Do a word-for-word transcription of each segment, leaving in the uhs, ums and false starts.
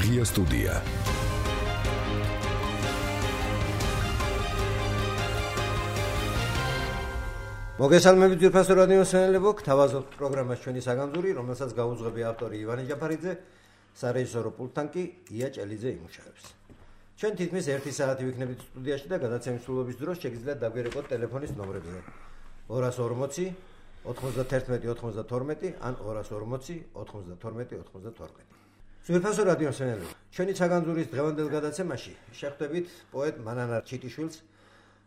ღია სტუდია. მოგესალმებით ძვირფასო რადიო მსმენელებო, გთავაზობთ პროგრამას ჩვენი საგანძური, რომელსაც გაუძღვები ავტორი ივანე ჯაფარიძე, სარეჟისორო პულტთან კი ია ჭელიძე იმუშავებს. ჩვენ თითქმის ერთი საათი ვიქნებით სტუდიაში და გადაცემის სრულობის დროს შეგიძლიათ დაგვერეკოთ ტელეფონის ნომრებზე ორას ორმოცი ოთხმოცდათერთმეტი ოცდათორმეტი ან ორას ორმოცი ოთხმოცდათორმეტი ოცდათორმეტი. ძვირფასო რადიო მსმენელებო, ჩვენი საგანძურის დღევანდელ გადაცემაში შეხვდებით პოეტ მანანა ჩიტიშვილს,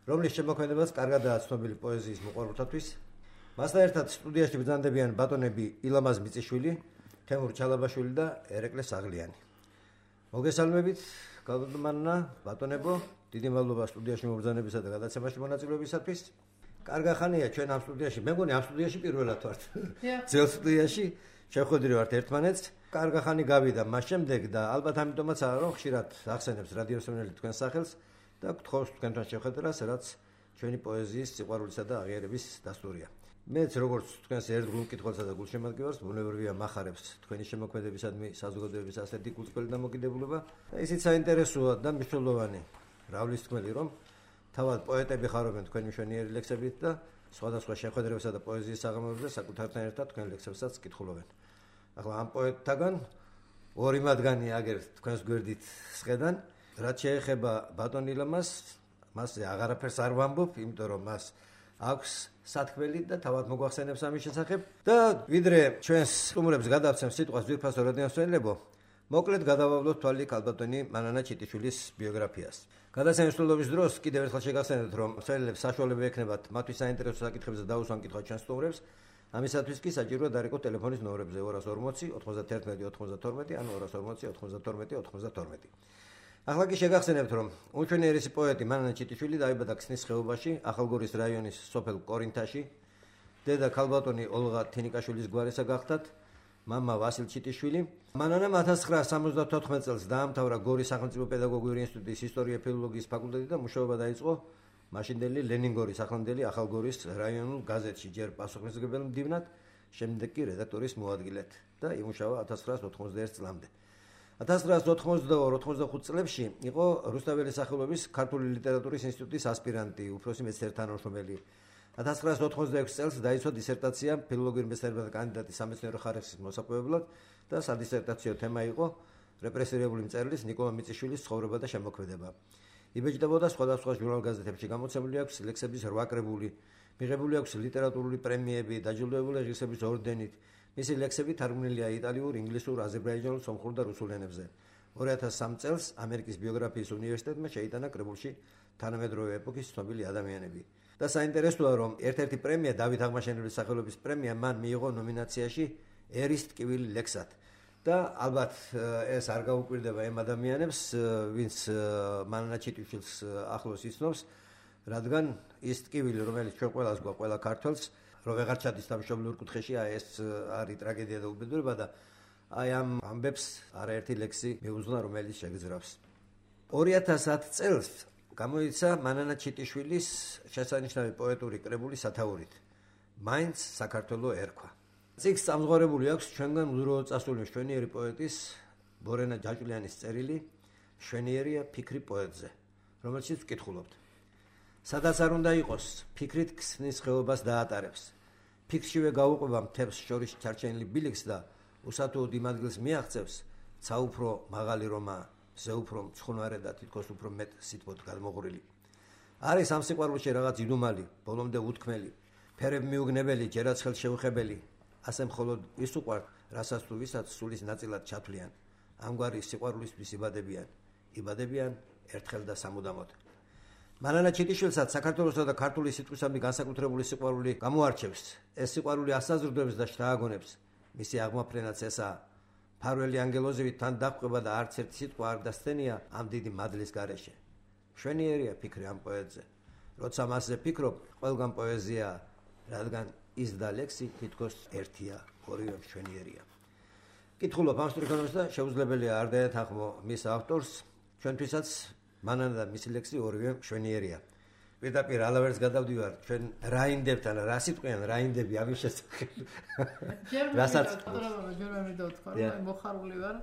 რომლის შემოქმედებას კარგადაა ცნობილი პოეზიის მოყვარულთათვის. მასთან ერთად სტუდიაში ბრძანდებიან ბატონები ილამაზ მიწიშვილი, თემურ ჩალაბაშვილი და ერეკლე საღლიანი. მოგესალმებით, გალბატონმა ბატონებო, დიდი მადლობა სტუდიაში მობრძანებისა და გადაცემაში მონაწილეობისათვის. კარგი ხანია ჩვენ ამ სტუდიაში, მე მგონი ამ სტუდიაში პირველად ვართ. ძველ სტუდიაში შევხვედრი ვართ ერთმანეთს. კარგი ხანი გავიდა მას შემდეგ და ალბათ ამიტომაც არა რომ ხშირად ახსენებს რადიო მსმენელი თქვენს სახელს. და გთხოვს თქვენთან შეხვედრას, რაც ჩვენი პოეზიის სიყვარულისა და აღიარების დასტურია. მეც როგორც თქვენს ერთგულ მკითხველსა და გულშემატკივარს ბუნებრივია მახარებს თქვენი შემოქმედებისადმი საზოგადოების ასეთი გულწრფელი დამოკიდებულება და ისიც საინტერესოა და მნიშვნელოვანი რავლისთქმელი, რომ თავად პოეტები ხარობენ თქვენი მშვენიერი ლექსებით და სხვადასხვა შეხვედრებსა და პოეზიის საღამოებზე საკუთართან ერთად თქვენ ლექსებსაც კითხულობენ. ახლა ამ პოეტთაგან ორი მათგანი აგერ თქვენს გვერდით სხედან. რაც შეეხება ბატონ ილამას, მასზე აღარაფერს არ ვამბობ, იმიტომ რომ მას აქვს სათქმელი და თავად მოგვახსენებს ამის შესახებ. და ვიდრე ჩვენს სტუმრებს გადავცემ სიტყვას ძვირფასო რადიო მსმენელებო, მოკლედ გადავავლოთ თვალი ქალბატონი მანანა ჩიტიშვილის ბიოგრაფიას. გადაცემის სრულობის დროს კიდევ ერთხელ შეგახსენებთ, რომ მსმენელებს საშუალება ექნებათ მათთვის საინტერესო საკითხებზე დაუსვან კითხვა ჩვენს სტუმრებს. ამისათვის კი საჭიროა დარეკოთ ტელეფონის ნომრებზე ორას ორმოცი ოთხმოცდათერთმეტი ოცდათორმეტი ან ორას ორმოცი ოთხმოცდათორმეტი ოცდათორმეტი. ახლა კი შეგახსენებთ, რომ უჩვენიერესი პოეტი მანანა ჩიტიშვილი დაიბადა ქსნის ხეობაში, ახალგორის რაიონის სოფელ კორინთაში. დედა ქალბატონი ოლღა თინიკაშვილის გვარისა გახდათ, მამა ვასილ ჩიტიშვილი. მანანამ ათას ცხრაას სამოცდათოთხმეტ წელს დაამთავრა გორის სახელმწიფო პედაგოგიური ინსტიტუტის ისტორია-ფილოლოგიის ფაკულტეტი და მუშაობა დაიწყო მაშინდელი ლენინგორის ახლანდელი ახალგორის რაიონულ გაზეთში, ჯერ პასუხისმგებელ მდივნად, შემდეგ კი რედაქტორის მოადგილედ და იმუშავა ათას ცხრაას ოთხმოცდაერთ წლამდე. ათას ცხრაას ოთხმოცდაორი ოცდახუთ წლებში იყო რუსთაველის სახელობის ქართული ლიტერატურის ინსტიტუტის ასპირანტი, უფროსი მეცნიერ-თანამშრომელი. ათას ცხრაას ოთხმოცდაექვსი წელს დაიცვა დისერტაცია ფილოლოგიური მეცნიერებათა კანდიდატის სამეცნიერო ხარისხის მოსაპოვებლად და სადისერტაციო თემა იყო რეპრესირებული მწერლის ნიკოლა მიწიშვილის ცხოვრება და შემოქმედება. იბეჭდებოდა სხვადასხვა ჟურნალ-გაზეთებში, გამოცემული აქვს ლექსების რვა კრებული, მიღებული აქვს ლიტერატურული პრემიები, დაჯილდოებული ღირსების ორდენით. მისი ლექსები თარგმნილია იტალიურ, ინგლისურ, აზერბაიჯანულ, სომხურ და რუსულ ენებზე. ორი ათას სამი წელს ამერიკის ბიოგრაფიის უნივერსიტეტმა შეიტანა კრებულში თანამედროვე ეპოქის ცნობილი ადამიანები. და საინტერესოა, რომ ერთ-ერთი პრემია, დავით აღმაშენებლის სახელობის პრემია, მან მიიღო ნომინაციაში ერის ტკივილი ლექსად. და ალბათ ეს არ გაუკვირდება იმ ადამიანებს, ვინც მანანა ჩიტიშვილს ახლოს იცნობს, რადგან ის ტკივილი, რომელიც ჩვენ ყველას გვაქვს, ყველა ქართველს, რომ ვეღარ ჩადის თავშობილურ კუთხეში, აი ეს არის ტრაგედია და უბედურება და აი ამ ამბებს არაერთი ლექსი მიუძღვნა, რომელიც შეგძრავს. ორი ათას ათი წელს გამოიცა მანანა ჩიტიშვილის შესანიშნავი პოეტური კრებული სათაურით. მაინც საქართველო ერქვა. წიგნს წამსღვრებული აქვს ჩვენგან უდროო წასული მშვენიერი პოეტის ბორენა ჯაჭვლიანის წერილი მშვენიერია ფიქრი პოეტზე, რომელშიც ვკითხულობთ. სადაც არ უნდა იყოს, ფიქრით ქსნის ხეობას დაატარებს. ფიქრშივე გაუყვება მთებს შორის ჩარჩენილი ბილიქს და უსათუოდ იმ ადგილს მიაღწევს, ცა უფრო მაღალი რომა, ზე უფრო მცხუნვარე და თითქოს უფრო მეტ სითბოდ გადმოღვრილი. არის ამ სიყვარულში რაღაც იდუმალი, ბოლომდე უთქმელი, ფერებ მიუგნებელი, ჯერაც ხელშეუხებელი, ასე მხოლოდ ის უყვართ, რასაც თუ ვისაც სულის ნაწილად ჩათვლიან. ამგვარი სიყვარულისთვის იბადებიან, იბადებიან ერთხელ და სამუდამოდ. მანანა ჩიტიშვილსაც საქართველოსა და ქართული სიტყვისადმი განსაკუთრებული სიყვარული გამოარჩევს. ეს სიყვარული ასაზრდოებს და შთააგონებს. მისი აღმაფრენაც ესაა. ფარველი ანგელოზივით თან დაჰყვება და არც ერთი სიტყვა არ დასცენია ამ დიდი მადლის გარეშე. მშვენიერია ფიქრი ამ პოეტზე. როცა მასზე ფიქრობ, ყველგან პოეზია, რადგან ის და ლექსი თითქოს ერთია, ორივე მშვენიერია. კითხულობ ამ სტრიქონებს და შეუძლებელია არ დაეთანხმო მის ავტორს, ჩვენთვისაც მანანა და მისი ლექსი ორივე მშვენიერია. პირდაპირ ალავერს გადავდივარ ჩვენ რაინდებთან, რა სიტყვიან რაინდები ამის შესახებ. რასაც ჯერ მე მითხრა, რომ მოხარული ვარ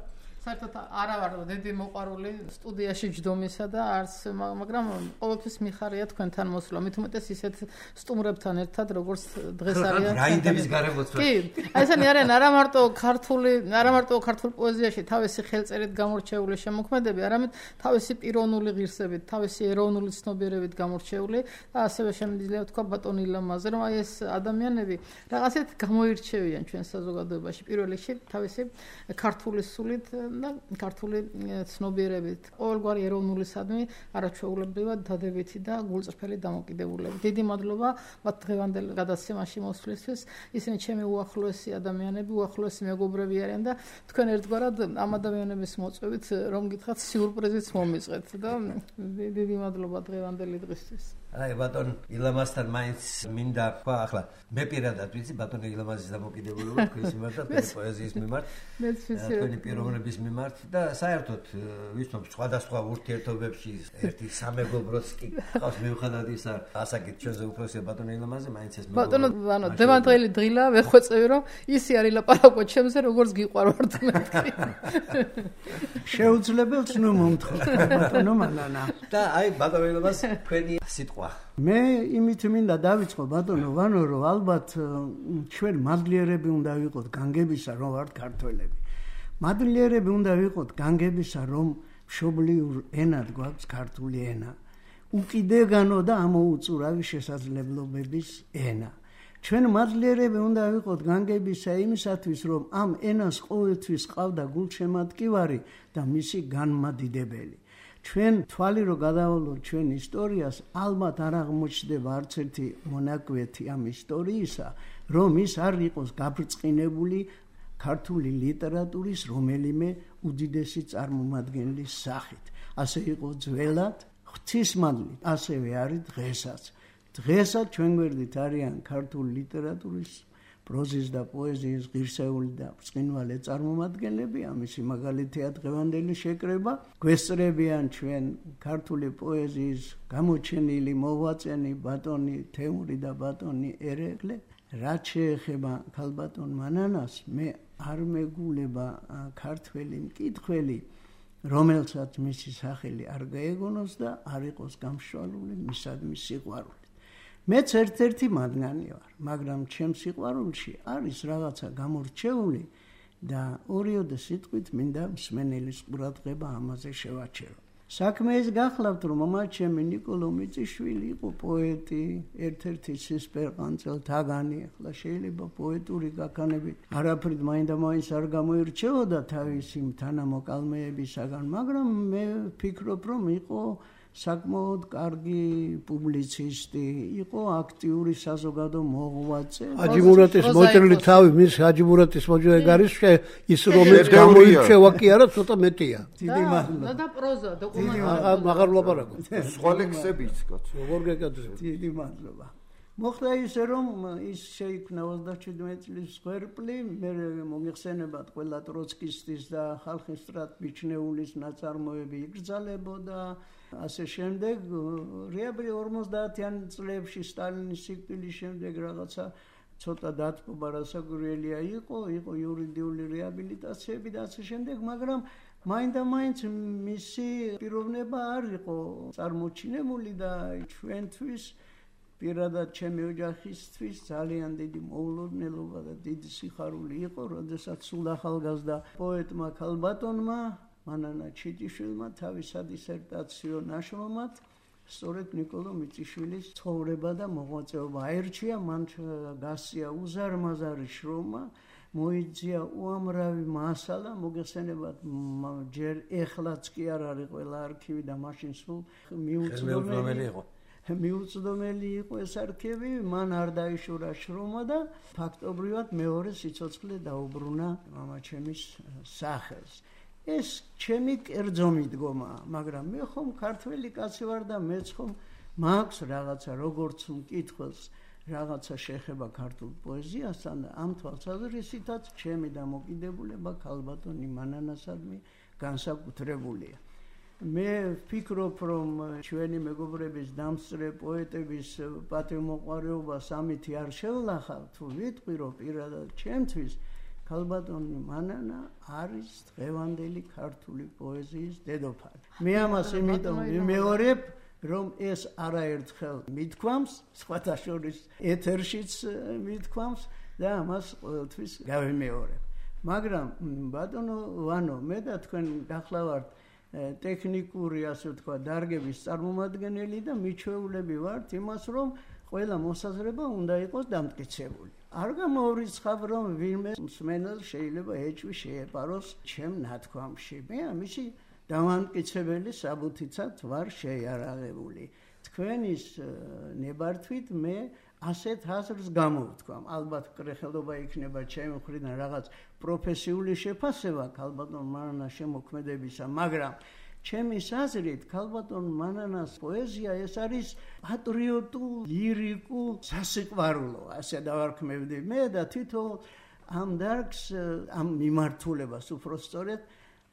საერთოდ არა ვარ დიდი მოყვარული სტუდიაში ჯდომისა და არც მაგრამ ყოველთვის მიხარია თქვენთან მოსვლა მით უმეტეს ისეთ სტუმრებთან ერთად როგორც დღეს არიან რაინდების გარემოცვა კი აი ესენი არიან არა მარტო ქართული არა მარტო ქართულ პოეზიაში თავისი ხელწერით გამორჩეული შემოქმედები არამედ თავისი პიროვნული ღირსებით თავისი ეროვნული ცნობიერებით გამორჩეული და ასევე შემიძლია თქვა ბატონ ილამაზე რომ აი ეს ადამიანები რაღაცეთ გამოირჩევიან ჩვენ საზოგადოებაში პირველ რიგში თავისი ქართული სულით და ქართული ცნობიერებით ყოველგვარი ეროვნულისადმი არაჩვეულებრივად დადებითი და გულწრფელი დამოკიდებულებით. დიდი მადლობა მათ დღევანდელ გადაცემაში მოსვლისთვის. ისინი ჩემი უახლოესი ადამიანები, უახლოესი მეგობრები არიან და თქვენ ერთგვარად ამ ადამიანების მოწვევით რომ გითხრათ სიურპრიზიც მომიწყეთ და დიდი მადლობა დღევანდელი დღისთვის. აი ბატონ ილამასთან მაინც მინდა თქვა ახლა მე პირადად ვიცი ბატონ ილამაზის დამოკიდებულება თქვენს მიმართ და პოეზიის მიმართ თქვენი პიროვნების მიმართ და საერთოდ ვიცნობ სხვადასხვა ურთიერთობებში ერთი სამეგობროც კი ყავს მიუხედავად ისა ასაკით ჩვენზე უფროსია ბატონ ილამაზი მაინც ეს ბატონო ანუ დევანდრელი დღილა ვეხვეწევი რომ ისი არის ლაპარაკო ჩემზე როგორც გიყვარვართ მეთქი შეუძლებელს ნუ მომთხოვ ბატონო მალანა და აი ბატონ ილამაზ თქვენი სიტყვა მე იმით მინდა დავიწყო ბატონო ვანო რომ ალბათ ჩვენ მადლიერები უნდა ვიყოთ განგებისა რომ ვართ ქართველები მადლიერები უნდა ვიყოთ განგებისა რომ მშობლიურ ენად გვაქვს ქართული ენა უკიდეგანო და ამოუწურავი შესაძლებლობების ენა ჩვენ მადლიერები უნდა ვიყოთ განგებისა იმისათვის რომ ამ ენას ყოველთვის ყავდა გულშემატკივარი და მისი განმადიდებელი ჩვენ თვალი რო გადავალოთ ჩვენ ისტორიას ალბათ არ აღმოჩნდება არც ერთი მონაკვეთი ამ ისტორიისა რომ ის არ იყოს გაბრწყინებული ქართული ლიტერატურის რომელიმე უდიდესი წარმომადგენლის სახით ასე იყო ძველად ღვთისმადლით ასევე არის დღესაც დღესაც ჩვენ გვერდით არიან ქართული ლიტერატურის პროზის და პოეზიის ღირსეული და ბრწყინვალე წარმომადგენლები ამისი მაგალითია დღევანდელი შეკრება გვესწრებიან ჩვენ ქართული პოეზიის გამოჩენილი მოღვაწენი ბატონი თემური და ბატონი ერეკლე რაც შეეხება ქალბატონ მანანას მე არ მეგულება ქართველი მკითხველი რომელსაც მისი სახელი არ გაეგონოს და არ იყოს გამშვალული მისადმი სიყვარული მეც ერთ-ერთი მათგანი ვარ, მაგრამ ჩემს სიყვარულში არის რაღაცა გამორჩეული და ორიოდე სიტყვით მინდა მსმენელის ყურადღება ამაზე შევაჩერო. საქმე ის გახლავთ, რომ მომაჩემი ნიკოლო მიწიშვილი იყო პოეტი, ერთ-ერთი სისპერყანწელ თაგანი, ახლა შეიძლება პოეტური გაქანებით არაფრით მაინდა-მაინც არ გამოირჩეოდა თავისი თანამოკალმეებისაგან, მაგრამ მე ვფიქრობ, რომ იყო საკმაოდ კარგი პუბლიცისტი, იყო აქტიური საზოგადო მოღვაწე. ჰაჯი მურატის მოჭრილი თავი, მის ჰაჯი მურატის მოჭრილი გარის ის რომელიც გამოირჩევა კი არა, ცოტა მეტია. დიდი მადლობა. და პროზა, დოკუმენტური. მაგარ ლაპარაკობ. სხვა ლექსებიც, კაცო. როგორ გეკეთე? დიდი მადლობა. მოხდა ისე რომ ის შეიქმნა ოცდაშვიდი წლის სვერპლი, მე მომიხსენებათ ყველა ტროცკისტის და ხალხის სტრატმიჩნეულის ნაწარმოები იგრძალებოდა ასე შემდეგ რეაბრი ორმოცდაათიან წლებში სტალინის სიკვდილის შემდეგ რაღაცა ცოტა დათბობა რასაკვირველია იყო, იყო იურიდიული რეაბილიტაციები და ასე შემდეგ, მაგრამ მაინდა-მაინც მისი პიროვნება არ იყო წარმოჩინებული და ჩვენთვის პირადად ჩემი ოჯახისთვის ძალიან დიდი მოულოდნელობა და დიდი სიხარული იყო, როდესაც სულ ახალგაზრდა პოეტმა ქალბატონმა მანანა ჩიტიშვილმა თავისა დისერტაციო ნაშრომად სწორედ ნიკოლო მიწიშვილის ცხოვრება და მოღვაწეობა აერჩია, მან გასწია უზარმაზარი შრომა, მოიძია უამრავი მასალა, მოგეხსენებათ ჯერ ეხლაც კი არ არის ყველა არქივი და მაშინ სულ მიუწვდომელი იყო. მიუწვდომელი იყო ეს არქივი, მან არ დაიშურა შრომა და ფაქტობრივად მეორე სიცოცხლე დაუბრუნა მამაჩემის სახელს. ეს ჩემი კერძო მიდგომაა, მაგრამ მე ხომ ქართველი კაცი ვარ და მეც ხომ მაქვს რაღაცა როგორც მკითხველს რაღაცა შეხება ქართულ პოეზიასთან და ამ თვალსაზრისითაც ჩემი დამოკიდებულება ქალბატონი მანანასადმი განსაკუთრებულია. მე ვფიქრობ, რომ ჩვენი მეგობრების დამსწრე პოეტების პატივმოყვარეობას ამითი არ შევლახავ, თუ ვიტყვი, რომ პირადად ჩემთვის ქალბატონი მანანა არის დღევანდელი ქართული პოეზიის დედოფალი. მე ამას იმიტომ ვიმეორებ, რომ ეს არაერთხელ მithქვამს, სხვათა შორის ეთერშიც მithქვამს და ამას ყოველთვის გავიმეორებ. მაგრამ ბატონო ვანო, მე და თქვენ გახლავართ ტექნიკური, ასე ვთქვა, დარგების წარმომადგენელი და მიჩვეულები ვართ იმას, რომ ყველა მოსაზრება უნდა იყოს დამტკიცებული. არ გამოვრიცხავ, რომ ვინმე მსმენელს შეიძლება ეჭვი შეეპაროს ჩემ ნათქვამში. მე ამისი დამამტკიცებელი საბუთიცად ვარ შეიარაღებული. თქვენის ნებართვით მე ასეთ აზრს გამოვთქვამ. ალბათ კრეხელობა იქნება ჩემი მხრიდან რაღაც პროფესიული შეფასება ქალბატონ მანანას შემოქმედებისა, მაგრამ ჩემის აზრით ქალბატონ მანანას პოეზია ეს არის პატრიოტულ, ლირიკულ სასიყვარულო, ასე დავარქმევდი მე და თვითონ ამ დარგს, ამ მიმართულებას უბრალოდ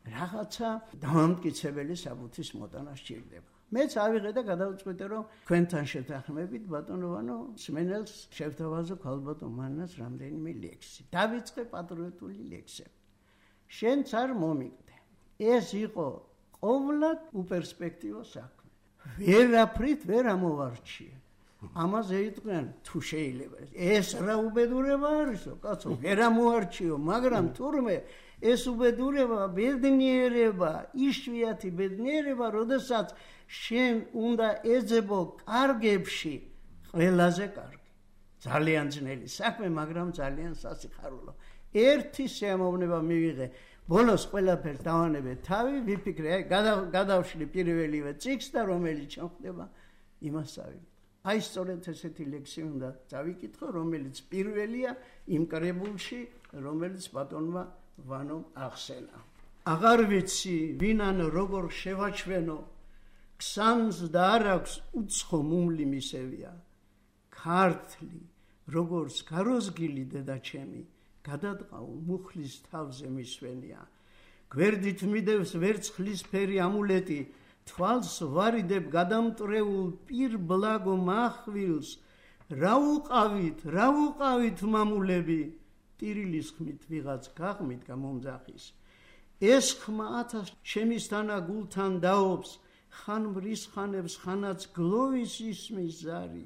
რაღაცა დამამტკიცებელი საბუთის მოტანა სჭირდება. მეც ავიღე და გადავწყვიტე, რომ თქვენთან შეთანხმებით ბატონო ვანო მსმენელს შევთავაზო ქალბატონ მანანას რამდენიმე ლექსი. დავიწყე პატრიოტული ლექსები. შენც არ მომიგდე. ეს იყო ყოვლად უპერსპექტივო საქმე. ვერაფრით ვერ ამოვარჩიე. ამაზე იტყვიან თუ შეიძლება. ეს რა უბედურება არისო, კაცო, ვერ ამოვარჩიო, მაგრამ თურმე ეს უბედურება, ბედნიერება, იშვიათი ბედნიერება, როდესაც შენ უნდა ეძებო კარგებში ყველაზე კარგი. ძალიან ძნელი საქმე, მაგრამ ძალიან სასიხარულო. ერთი შემოვნება მივიღე. ბოლოს ყველაფერს დავანებე თავი, ვიფიქრე, აი გადავშლი პირველივე წიგნს და რომელიც ჩამხდება, იმას ავიღე. აი სწორედ ესეთი ლექსი უნდა დავიკითხო, რომელიც პირველია იმ კრებულში, რომელიც ბატონმა ვანომ ახსენა. აღარ ვიცი, ვინან როგორ შევაჩვენო, ქსანს და არ აქვს უცხო მუმლი მისევია. ქართლი, როგორც გაროზგილი დედაჩემი, გადადყაულ მუხლის თავზე მისვენია. გვერდით მიდევს ვერცხლისფერი ამულეტი, თვალს ვარიდებ გადამტრეულ პირ ბლაგო მახვილს. რა უყავით, რა უყავით მამულები, ტირილის ხმით ვიღაც გაღმით გამომძახის. ეს ხმა ათას შემისთანა გულთან დაობს, ხან მრისხანებს, ხანაც გლოვის ისმის ზარი.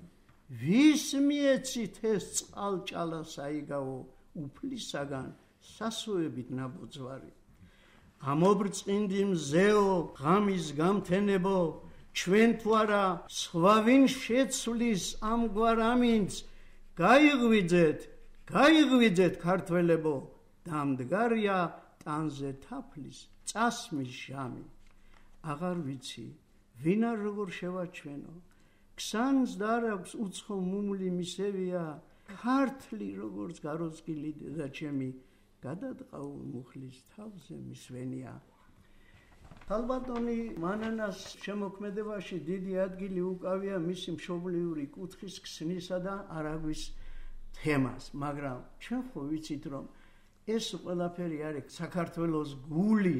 ვის მიეცით ეს წყალჭალა საიგავო, უფლისაგან სასოებით ნაბოძვარი. ამობრწყინდი მზეო, ღამის გამთენებო, ჩვენ თუ არა სხვა ვინ შეცვლის ამგვარ ამინც, გაიღვიძეთ, გაიღვიძეთ ქართველებო, დამდგარია ტანზე თაფლის წასმის ჟამი. აღარ ვიცი, ვინ არ როგორ შევაჩვენო, ქსანს და არ აქვს უცხო მუმლი მისევია, ქართლი როგორც გაროზგილი დედაჩემი, გადადყაულ მუხლის თავზე მისვენია. ქალბატონი მანანას შემოქმედებაში დიდი ადგილი უკავია მისი მშობლიური კუთხის ქსნისა და არაგვის თემას, მაგრამ ჩვენ ხო ვიცით, რომ ეს ყველაფერი არის საქართველოს გული,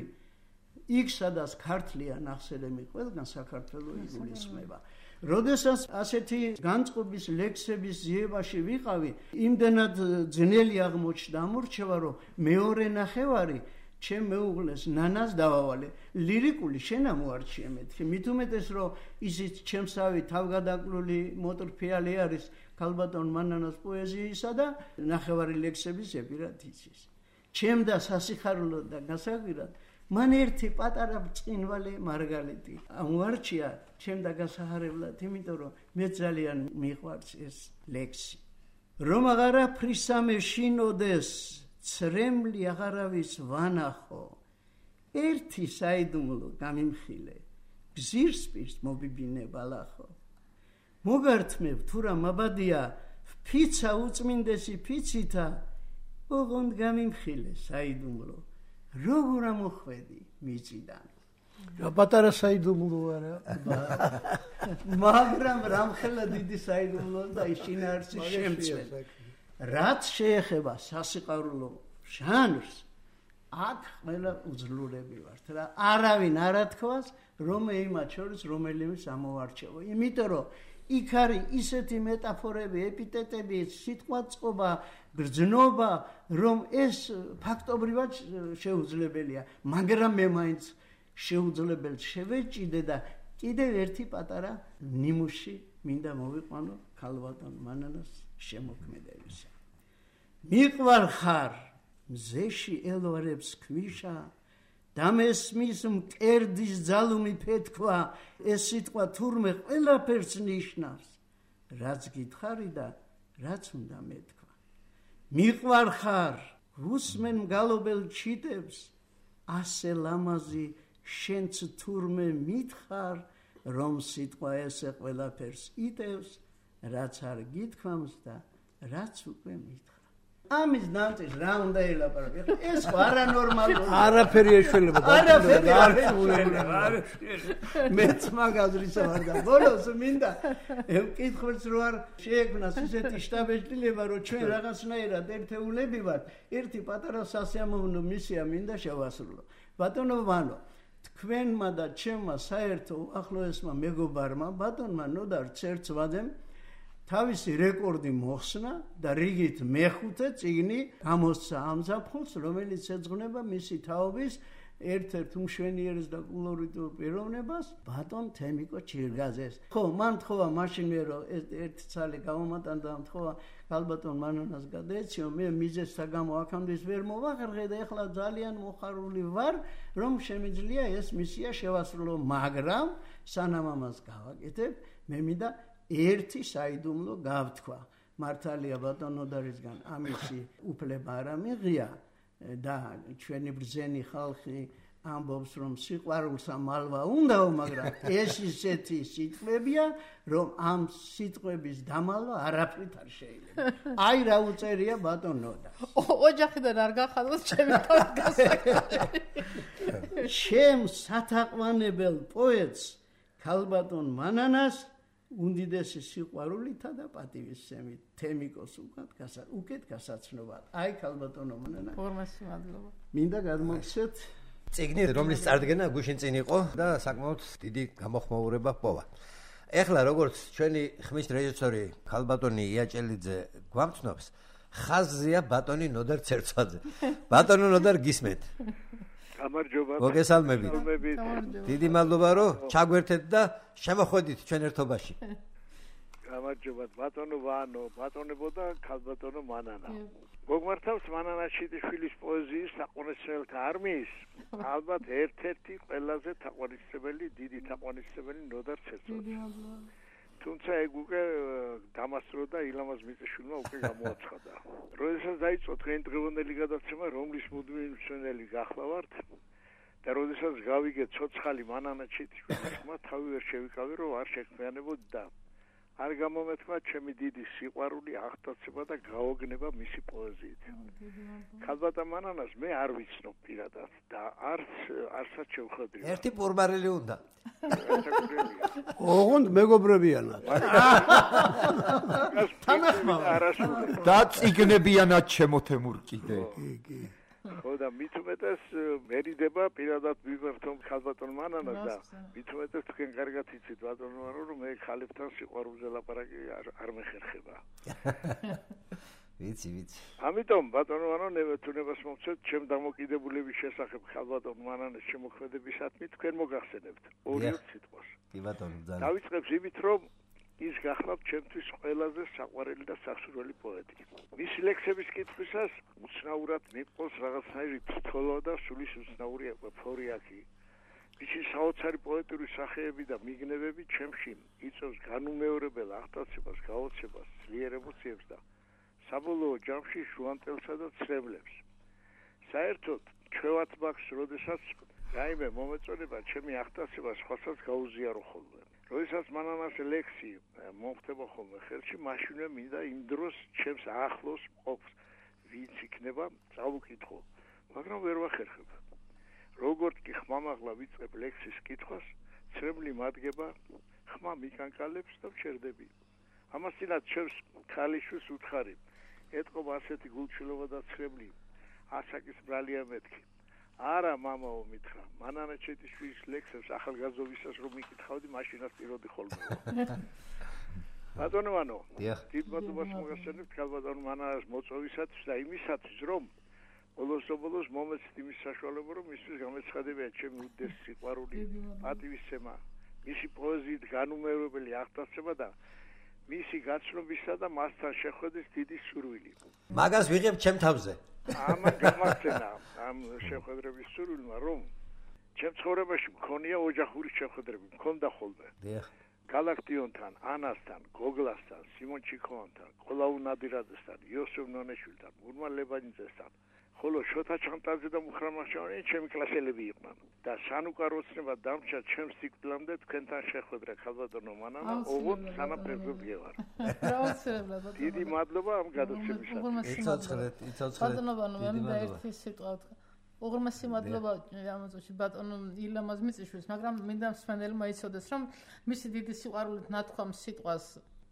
იქ სადაც ქართლია ნახსენები, ყველგან საქართველო იგულისხმება. როდესაც ასეთი განწყობის ლექსების ძიებაში ვიყავი, იმდენად ძნელი აღმოჩნდა ამორჩევა, რომ მეორე ნახევარი ჩემ მეუღლეს ნანას დავავალე. ლირიკული შენ ამოარჩიე მეთქი, მით უმეტეს, რომ ისიც ჩემსავი თავგადაკლული მოტრფიალი არის ქალბატონ მანანას პოეზიისა და ნახევარი ლექსების ეპირად იცის. ჩემ და სასიხარულო და გასაკვირად მან ერთი პატარა ბრწყინვალე მარგალიტი ამოარჩია ჩემ და გასაჰარებლად, იმიტომ რომ მე ძალიან მიყვარს ეს ლექსი. რომ აღარა ფრისამე შინოდეს, ცრემლი აღარავის ვანახო, ერთი საიდუმლო გამიმხილე, გზირს პირს მობიბინე ბალახო. მოგართმევ თუ რა მაბადია, ფიცა უწმინდესი ფიცითა, ოღონდ გამიმხილე საიდუმლო. როგორ ამოხვედი მიწიდან. რა პატარა საიდუმლო არა. მაგრამ რამხელა დიდი საიდუმლო და შინაარსი შემცველ. რაც შეეხება სასიყვარულო ჟანრს, აქ ყველა უძლურები ვართ რა. არავინ არ ათქვას, რომ იმათ შორის რომელიმე ამოვარჩევო. იმიტომ რომ იქ არის ისეთი მეტაფორები, ეპიტეტები, სიტყვაწყობა, გრძნობა, რომ ეს ფაქტობრივად შეუძლებელია, მაგრამ მე მაინც შეუძლებელს შევეჭიდე და კიდევ ერთი პატარა ნიმუში მინდა მოვიყვანო ქალბატონ მანანას შემოქმედებისა. მიყვარ ხარ მზეში ელვარებს ქვიშა და მესმის მკერდის ძალუმი ფეთქვა, ეს სიტყვა თურმე ყველაფერს ნიშნავს, რაც გითხარი და რაც უნდა მეთქვა. მიყვარ ხარ უსმენ მგალობელ ჩიტებს, ასე ლამაზი შენც თურმე მითხარ, რომ სიტყვა ესე ყველაფერს იტევს, რაც არ გითქვამს და რაც უკვე მითხრა. ამის ნამწეს რა უნდა ელაპარაკო? ეს არანორმალურია. არაფერი ეშველება. არაფერი არ ეშველება. მეც მაგაზრისა ვარ და ბოლოს მინდა ემკითხოს რო არ შეექმნას ისეთი შტაბ-ეჭდილება, რომ ჩვენ რაღაცნაირად ერთეულები ვართ, ერთი პატარა სასიამოვნო მისია მინდა შევასრულო. ბატონო ვანო, თქვენმა და ჩემმა საერთო ახლოესმა მეგობარმა ბატონმა ნოდარ ცერცვადემ თავისი რეკორდი მოხსნა და რიგით მეხუთე წიგნი გამოსცა ამ ზაფხულს, რომელიც ეძღვნება მისი თაობის ერთ-ერთ უმშვენიერეს და კოლორიტურ პიროვნებას, ბატონ თემიკო ჩირგაძეს. ხო, მან თხოვა მაშინ მე რომ ერთ ცალი გამომატანდა, თხოვა ქალბატონ მანანას გადაეციო, მე მიზეზთა გამო აქამდე ვერ მოვახერხე და ეხლა ძალიან მოხარული ვარ, რომ შემიძლია ეს მისია შევასრულო, მაგრამ სანამ ამას გავაკეთებ, მე მინდა ერთი საიდუმლო გავთქვა. მართალია ბატონ ნოდარისგან ამისი უფლება არ ამიღია და ჩვენი ბრძენი ხალხი ამბობს, რომ სიყვარულსა მალვა უნდაო, მაგრამ ეს ისეთი სიტყვებია, რომ ამ სიტყვების დამალვა არაფრით არ შეიძლება. აი რა უწერია ბატონ ნოდა. ოჯახიდან არ გახადოთ ჩემი თავის გასაკეთებელი. ჩემ სათაყვანებელ პოეტს ქალბატონ მანანას უდიდესი სიყვარულითა და პატივისცემით თემიკოს უკეთ გასაცნობად. აი ქალბატონო მანანა. ფორმასი მადლობა. მინდა გადმოგცეთ წიგნი, რომლის წარდგენა გუშინ წინ იყო და საკმაოდ დიდი გამოხმაურება ჰპოვა. ეხლა როგორც ჩვენი ხმის რეჟისორი ქალბატონი იაჭელიძე გვამცნობს, ხაზზეა ბატონი ნოდარ ცერცვაძე. ბატონო ნოდარ გისმენთ. გამარჯობა. მოგესალმებით. დიდი მადლობა რომ ჩაგვერთეთ და შემოხვედით ჩვენ ერთობაში. გამარჯობა ბატონო ვანო, ბატონებო და ქალბატონო მანანა. მოგმართავს მანანა შიტიშვილის პოეზიის თაყვანისმცემელთა არმიის, ალბათ ერთ-ერთი ყველაზე თაყვანისმცემელი, დიდი თაყვანისმცემელი ნოდარ ცერცვაძე. თუმცა ეგ უკვე დამასწროდა ილამაზ მიწაშვილმა უკვე გამოაცხადა. როდესაც დაიწყო თქვენი დღევანდელი გადაცემა, რომლის მუდმივი მსმენელი გახლავართ და როდესაც გავიგე ცოცხალი მანანა ჩიტიშვილის ხმა, თავი ვერ შევიკავე, რომ არ შექმიანებოდი და არ გამომეთქვა ჩემი დიდი სიყვარული, აღტაცება და გაოგნება მისი პოეზიით. ქალბატონ მანანას მე არ ვიცნობ პირადად და არც არცაც შევხედრი. ერთი პურბარელი უნდა. ოღონდ მეგობრებიანად. და წიგნებიანად შემოთემურ კიდე. კი, კი. ხო და მით უმეტეს მერიდება პირადად ვიმართომ ქალბატონ მანანას და მით უმეტეს თქვენ კარგად იცით ბატონ მანანო, რომ მე ხალებთან სიყვარულზე ლაპარაკი არ მეხერხება. ვიცი, ვიცი. ამიტომ ბატონ მანანო, თუნებას მოგცეთ ჩემ დამოკიდებულების შესახებ ქალბატონ მანანის შემოქმედებისადმი თქვენ მოგახსენებთ ორი სიტყვას. კი ბატონო, ძალიან. დავიწყებ იმით, რომ ის გახლავთ ჩემთვის ყველაზე საყვარელი და სასურველი პოეტი. მისი ლექსების კითხვისას უცნაურად მიყვოს რაღაცნაირი თითოეულ და სულის უცნაური ეპოფორიაკი. მისი საოცარი პოეტური სახეები და მიგნებები ჩემში იწვევს განუმეორებელ აღტაცებას, გაოცებას, ძლიერ ემოციებს და საბოლოო ჯამში ჟუანტელსა და ცრემლებს. საერთოდ ჩვევათ მაქვს, როდესაც რაიმე მომეწონება ჩემი აღტაცება სხვასაც გაუზიარო ხოლმე. როდესაც მანანას ლექსი მომხდება ხოლმე ხელში, მაშინვე მინდა იმ დროს ჩემს ახლოს მყოფს ვინც იქნება წავუკითხო, მაგრამ ვერ ვახერხებ. როგორც კი ხმამაღლა ვიწყებ ლექსის კითხვას, ცრემლი მადგება, ხმა მიკანკალებს და ვჩერდები. ამასთანავე ჩემს ქალიშვილს უთხარი, ეთყობა ასეთი გულჩილობა და ცრემლი, ასაკის ბრალია მეთქი. არა მამაო მითხრა, მანანა ჩიტიშვილის ლექსებს ახალგაზრდობისას რომ მიკითხავდი, მაშინაც პიროდი ხოლმე. ბატონო ვანო. დიახ. დიდ მადლობას მოგესალმებით ქალბატონ მანას მოწვევისათვის და იმისათვის რომ ბოლოს-ბოლოს მომეცით იმის საშუალება რომ მისთვის გამეცხადებიან ჩემი უდიდესი სიყვარული, პატივისცემა, მისი პოეზიით განუმეორებელი აღტაცება და მისი გაცნობისა და მასთან შეხვედრის დიდი სურვილი. მაგას ვიღებ ჩემ თავზე. ამან გამახსენა ამ შეხვედრების სურვილმა რომ ჩემ ცხოვრებაში მქონია ოჯახური შეხვედრები, მქონდა ხოლმე. დიახ. გალაქტიონთან, ანასთან, გოგლასთან, სიმონ ჩიქოვანთან, ყოლაუ ნადირაძესთან, იოსებ ნონეშვილთან, მურმან ლებანიძესთან, ხოლო შოთა ჩანტაძე და მუხრან მახჩევანი ჩემი კლასელები იყვნენ და სანუკა როცნება დამჭა ჩემს სიკვდილამდე თქვენთან შეხვედრა ქალბატონო მანანა, ოღონდ სანამ პრეზიდენტი ვარ. აუცილებლად. დიდი მადლობა ამ გადაცემისათვის. იცოცხლეთ, იცოცხლეთ. ბატონო ვანო, მე მინდა ერთი სიტყვა ვთქვა. უღრმესი მადლობა ამ წუთში ბატონო ილამაზ მიწიშვილს, მაგრამ მინდა მსმენელმა იცოდეს, რომ მისი დიდი სიყვარულით ნათქვამ სიტყვას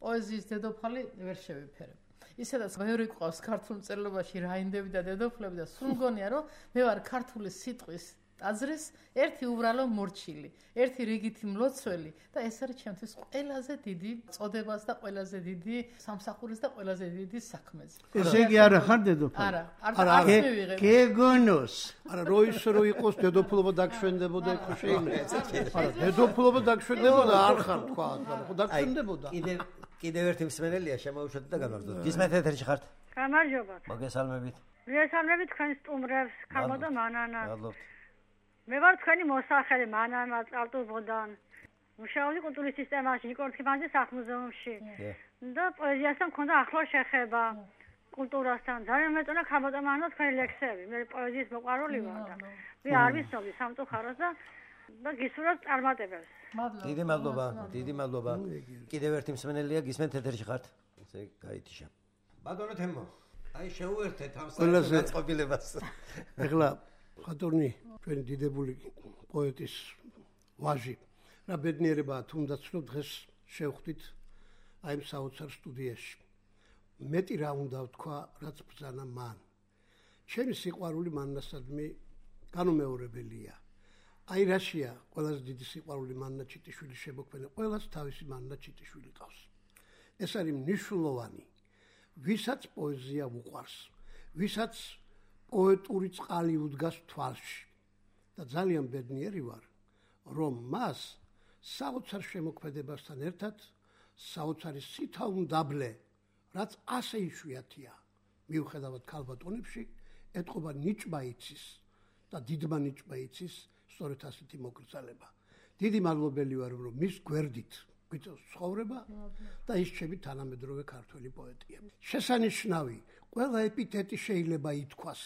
პოეზიის დედოფალი ვერ შევიფერებ. ისედაც მეორე ყავს ქართულ მწერლობაში რაინდები და დედოფლები და სულ მგონია, რომ მე ვარ ქართული სიტყვის ტაძრის ერთი უბრალო მორჩილი, ერთი რიგითი მლოცველი და ეს არის ჩემთვის ყველაზე დიდი წოდებას და ყველაზე დიდი სამსახურის და ყველაზე დიდი საქმეზე. ესე იგი არა ხარ დედოფალი? არა, არ მივიღებ. გეგონოს. არა, რო ის რო იყოს დედოფლობა დაგშვენდებოდა ხო შეიძლება. არა, დედოფლობა დაგშვენდებოდა არ ხარ თქვა, ხო დაგშვენდებოდა. კიდე კიდევ ერთი მსმენელია შემოუშვათ და გამარჯობთ. გისმენთ ეთერში ხართ? გამარჯობათ. მოგესალმებით. მოგესალმებით თქვენ სტუმრებს, ქალბატონ მანანა. მადლობთ. მე ვარ თქვენი მოსახელე მანანა წალტუბოდან. მუშაობდი კულტურის სისტემაში, ნიკორთქიფანძის სახლ-მუზეუმში. და პოეზიასთან მქონდა ახლო შეხება კულტურასთან. ძალიან მეწონა ქალბატონ მანანა თქვენი ლექსები. მე პოეზიის მოყვარული ვარ და მე არ ვიცნობდი სამწუხაროს და და გისურვებთ წარმატებებს. მადლობა. დიდი მადლობა, დიდი მადლობა. კიდევ ერთი მსმენელია, გისმენთ ეთერში ხართ? ესე გაითიშა. ბატონო თემო, აი შეუერთეთ ამ საწყობილებას. ეხლა ხატურნი ჩვენი დიდებული პოეტის ვაჟი რა ბედნიერებაა თუნდაც რომ დღეს შევხვდით აი ამ საოცარ სტუდიაში. მეტი რა უნდა ვთქვა, რაც ბრძანა მან. ჩემი სიყვარული მანნასადმი განუმეორებელია. აი რაშია ყველაზე დიდი სიყვარული მანნა ჩიტიშვილი შემოქმედა, ყველას თავისი მანნა ჩიტიშვილი ყავს. ეს არის მნიშვნელოვანი, ვისაც პოეზია უყვარს, ვისაც პოეტური წყალი უდგას თვალში. და ძალიან ბედნიერი ვარ, რომ მას საოცარ შემოქმედებასთან ერთად საოცარი სითა უნდაბლე, რაც ასე იშვიათია, მიუხედავად ქალბატონებში, ეთყობა ნიჭმა იცის და დიდმა ნიჭმა იცის სწორედ ასეთი მოკრძალება. დიდი მადლობელი ვარ, რომ მის გვერდით გვიწევს ცხოვრება და ის ჩემი თანამედროვე ქართველი პოეტია. შესანიშნავი, ყველა ეპითეტი შეიძლება ითქვას.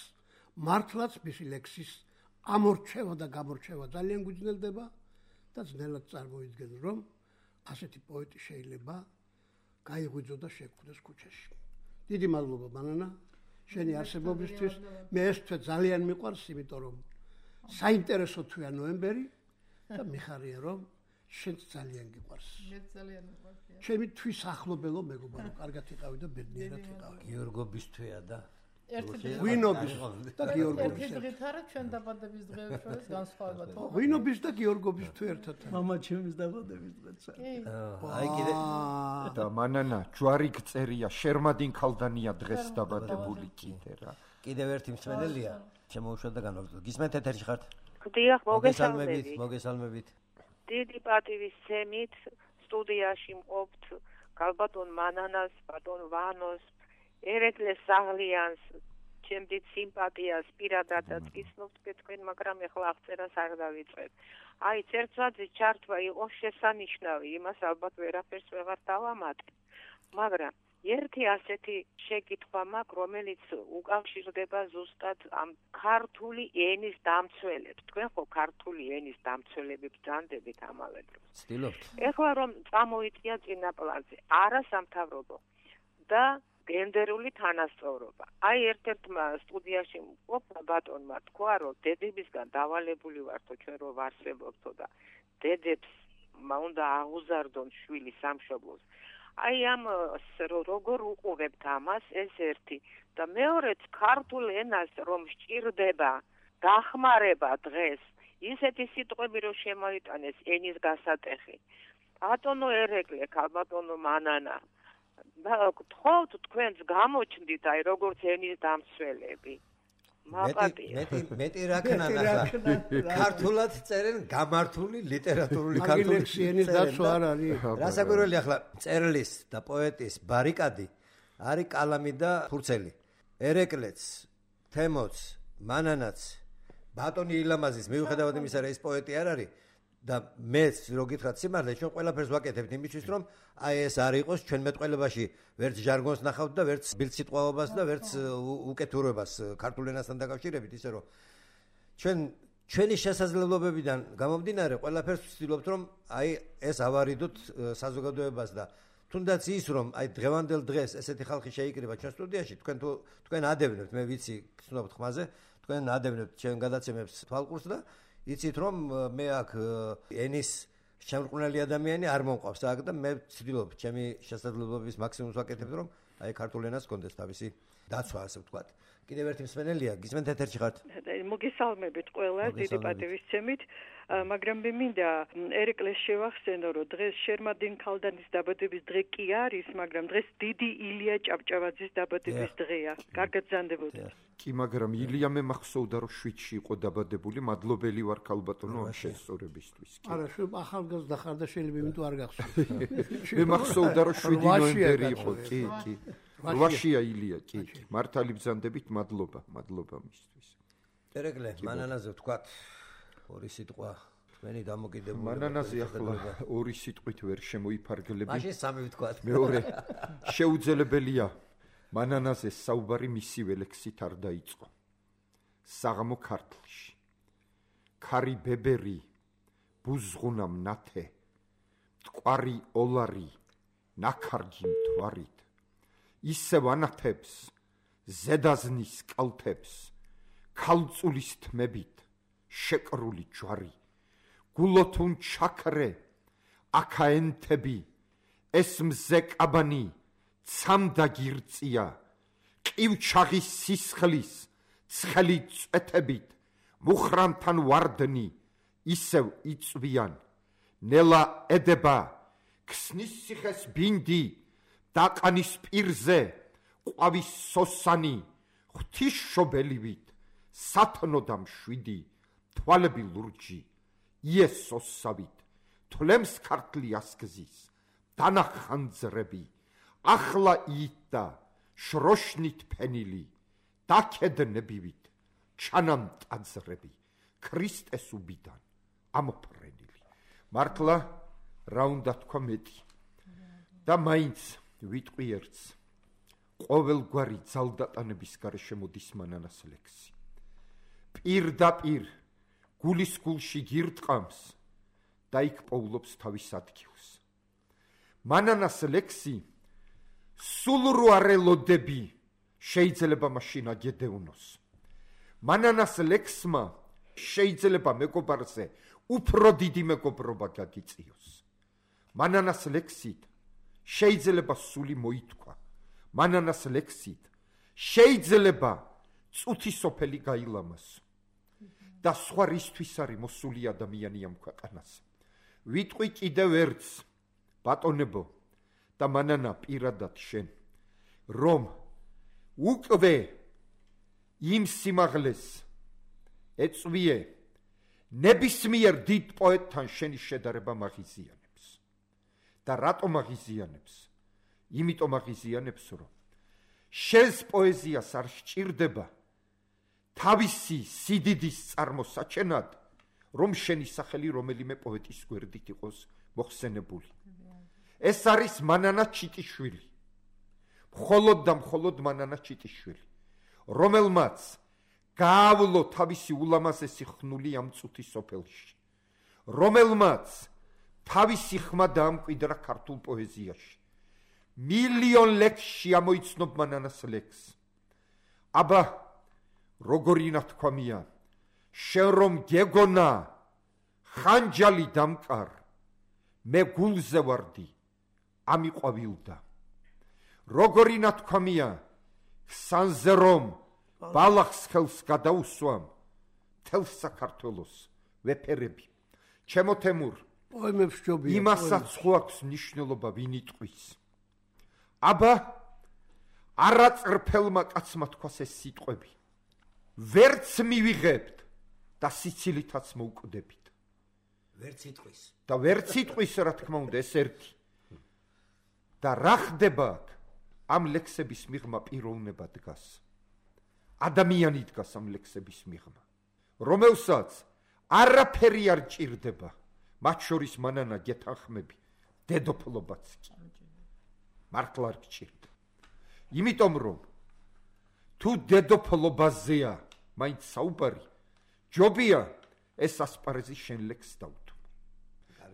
მართლაც მისი ლექსის ამორჩევა და გამორჩევა ძალიან გვიძნელდება და ძნელად წარმოიდგენ, რომ ასეთი პოეტი შეიძლება გაიღვიძო და შეგვდეს ქუჩაში. დიდი მადლობა მანანა, შენი არსებობისთვის. მე ეს თვე ძალიან მიყვარს, იმიტომ რომ საინტერესო თვეა ნოემბერი და მიხარია რომ შენც ძალიან გიყვარს. მე ძალიან მიყვარს. ჩემი თვის ახლობელო მეგობარო, კარგად იყავი და ბედნიერად იყავი. გიორგობის თვეა და ერთი ღვინობის და გიორგობის ერთი დღით არა ჩვენ დაბადების დღეებს შორის განსხვავება თქო. ღვინობის და გიორგობის თვე ერთად. მამა ჩემის დაბადების დღეცა. აი კიდე და მანანა ჯვარი გწერია შერმადინ ქალდანია დღეს დაბადებული კიდე რა. კიდევ ერთი მსმენელია შემოუშვათ და განვაგრძელოთ. გისმენთ ეთერში ხართ? დიახ, მოგესალმებით. მოგესალმებით. დიდი პატივისცემით სტუდიაში მყოფთ ქალბატონ მანანას, ბატონ ვანოს, ერეკლეს საღლიანს, ჩემდით სიმპათიას პირადადაც გიცნობთ თქვენ, მაგრამ ეხლა აღწერას არ დავიწყებ. აი, წერცვაძის ჩართვა იყო შესანიშნავი, იმას ალბათ ვერაფერს ვეღარ დავამატებ. მაგრამ ერთი ასეთი შეკითხვა მაქვს, რომელიც უკავშირდება ზუსტად ამ ქართული ენის დამცველებს. თქვენ ხო ქართული ენის დამცველები ბრძანდებით ამავე დროს. ცდილობთ. ეხლა რომ წამოიწია წინაპლანზე, არასამთავრობო და გენდერული თანასწორობა. აი ერთ-ერთმა სტუდიაში მყოფმა ბატონმა თქვა, რომ დედებისგან დავალებული ვართო ჩვენ რომ ვარსებობთო და დედებს უნდა აღუზარდონ შვილი სამშობლოს. აი ამ როგორ უყურებთ ამას, ეს ერთი და მეორეც ქართულ ენას რომ სჭირდება დახმარება დღეს, ისეთი სიტყვები რომ შემოიტანეს ენის გასატეხი ბატონო ერეკლე, ქალბატონო მანანა. გთხოვთ თქვენს გამოჩნდით აი როგორც ენის დამცველები. მეტი მეტი მეტი რაკნან ახლა ქართულად წერენ გამართული ლიტერატურული ქართული ენის დაცვა არ არის. რასაკვირველი ახლა წერლის და პოეტის ბარიკადი არის კალამი და ფურცელი. ერეკლეც, თემოც, მანანაც, ბატონი ილამაზის მიუხედავად იმისა, რომ ეს პოეტი არ არის და მეც რო გითხრათ სიმართლე, ჩვენ ყველაფერს ვაკეთებთ იმისთვის, რომ აი ეს არ იყოს ჩვენ მეტყველებაში ვერც ჟარგონს ნახავთ და ვერც ბილწიტყვაობას და ვერც უკეთურებას ქართულ ენასთან დაკავშირებით, ისე რომ ჩვენ ჩვენი შესაძლებლობებიდან გამომდინარე ყველაფერს ვცდილობთ, რომ აი ეს ავარიდოთ საზოგადოებას და თუნდაც ის რომ აი დღევანდელ დღეს ესეთი ხალხი შეიკრიბა ჩვენ სტუდიაში, თქვენ თუ თქვენ ადევნებთ, მე ვიცი, გცნობთ ხმაზე, თქვენ ადევნებთ ჩვენ გადაცემებს თვალყურს და იცით რომ მე აქ ენის შემრყნელი ადამიანი არ მომყავს აქ და მე ვცდილობ ჩემი შესაძლებლობის მაქსიმუმს ვაკეთებ რომ აი ქართულ ენას გქონდეს თავისი დაცვა ასე ვთქვათ. კიდევ ერთი მსმენელია, გისმენთ ეთერში ხართ? მოგესალმებით ყველა, დიდი პატივისცემით, მაგრამ მე მინდა ერეკლეს შევახსენო, რომ დღეს შერმადინ ქალდანის დაბადების დღე კი არის, მაგრამ დღეს დიდი ილია ჭავჭავაძის დაბადების დღეა. კარგად გზანდებოდეთ. კი, მაგრამ ილია მე მახსოვდა, რომ შვიდში იყო დაბადებული, მადლობელი ვარ ქალბატონო ამ შესწორებისთვის. არა, შენ ახალგაზრდა ხარ და შეიძლება იმიტომ არ გახსოვს. მე მახსოვდა, რომ შვიდი ნოემბერი იყო, კი, კი. რვაშია ილია, კი, კი. მართალი ბრძანდებით, მადლობა, მადლობა მისთვის. ერეკლე, მანანაზე ვთქვათ, ორი სიტყვა, თქვენი დამოკიდებულება. მანანაზე ახლა ორი სიტყვით ვერ შემოიფარგლები. მაშინ სამი ვთქვათ. მეორე, შეუძლებელია მანანაზე საუბარი მისივე ლექსით არ დაიწყო. საღამო ქართლში. ქარი ბებერი, ბუზღუნა მნათე, მტკვარი ოლარი, ნაქარგი მთვარით. ისევ ანათებს, ზედაზნის კალთებს, ქალწულის თმებით, შეკრული ჯვარი, გულოთუნ ჩაქრე, აკაენთები, ეს მზე კაბანი, ცამდა გირწია, ყივჩაღის სისხლის, ცხელი წვეთებით, მუხრამთან ვარდნი, ისევ იწვიან, ნელა ედება, ქსნის სიხეს ბინდი, დაყანის პირზე, ყვავის სოსანი, ღვთის შობელივით, სათნოდა მშვიდი, თვალები ლურჯი, იესოსავით, თვლემს ქართლი ასგზის, დანახანძრები, ახლა იტდა, შროშნით ფენილი, დაქედნებივით, ჩანამტაძრები, ქრისტეს უბიდან, ამოფრენილი. მართლა, რა უნდა თქვა მეტი და მაინც ვიტყვი ერთს, ყოველგვარი ძალდატანების გარეშე მოდის მანანას ლექსი. პირდაპირ გულის გულში გირტყამს და იქ პოულობს თავის ადგილს. მანანას ლექსი სულ რო არ ელოდები შეიძლება მაშინ აგედევნოს. მანანას ლექსმა შეიძლება მეგობარზე უფრო დიდი მეგობრობა გაგიწიოს. მანანას ლექსით შეიძლება სული მოითქვა. მანანას ლექსით შეიძლება წუთი სოფელი გაილამაზო. და სხვა რისთვის არის მოსული ადამიანი ამ ქვეყანაზე. ვიტყვი კიდევ ერთს, ბატონებო და მანანა პირადად შენ, რომ უკვე იმ სიმაღლეს ეწვიე ნებისმიერ დიდ პოეტთან შენი შედარება მაღიზიანებს. და რატომ მაღიზიანებს? იმიტომ მაღიზიანებს, რომ შენს პოეზიას არ სჭირდება თავისი სიდიდის წარმოსაჩენად, რომ შენი სახელი რომელიმე პოეტის გვერდით იყოს მოხსენებული. ეს არის მანანა ჩიტიშვილი. მხოლოდ და მხოლოდ მანანა ჩიტიშვილი, რომელმაც გაავლო თავისი ულამაზესი ხნული ამ წუთი სოფელში, რომელმაც თავისი ხმა დაამკვიდრა ქართულ პოეზიაში. მილიონ ლექსში ამოიცნობ მანანას ლექსს. აბა როგორი ნათქვამია, შენ რომ გეგონა ხანჯალი დამკარ, მე გულზე ვარდი, ამიყვავილდა. როგორი ნათქვამია, ხსანზე რომ ბალახს ხელს გადაუსვამ, მთელ საქართველოს ვეფერები. ჩემო თემურ, პოემებს ჯობია. იმასაც ხო აქვს მნიშვნელობა ვინ იტყვის. აბა არაწრფელმა კაცმა თქვას ეს სიტყვები. ვერც მივიღებთ და სიცილითაც მოუკვდებით. ვერც იტყვის. და ვერც იტყვის რა თქმა უნდა ეს ერთი. და რა ხდება აქ? ამ ლექსების მიღმა პიროვნება დგას. ადამიანი დგას ამ ლექსების მიღმა, რომელსაც არაფერი არ ჭირდება, მათ შორის მანანა გეთანხმები, დედოფლობაც კი. მართლა არ გჭირდება. იმიტომ რომ თუ დედოფლობაზეა მაინც საუბარი, ჯობია ეს ასპარეზი შენ ლექსს დავთო.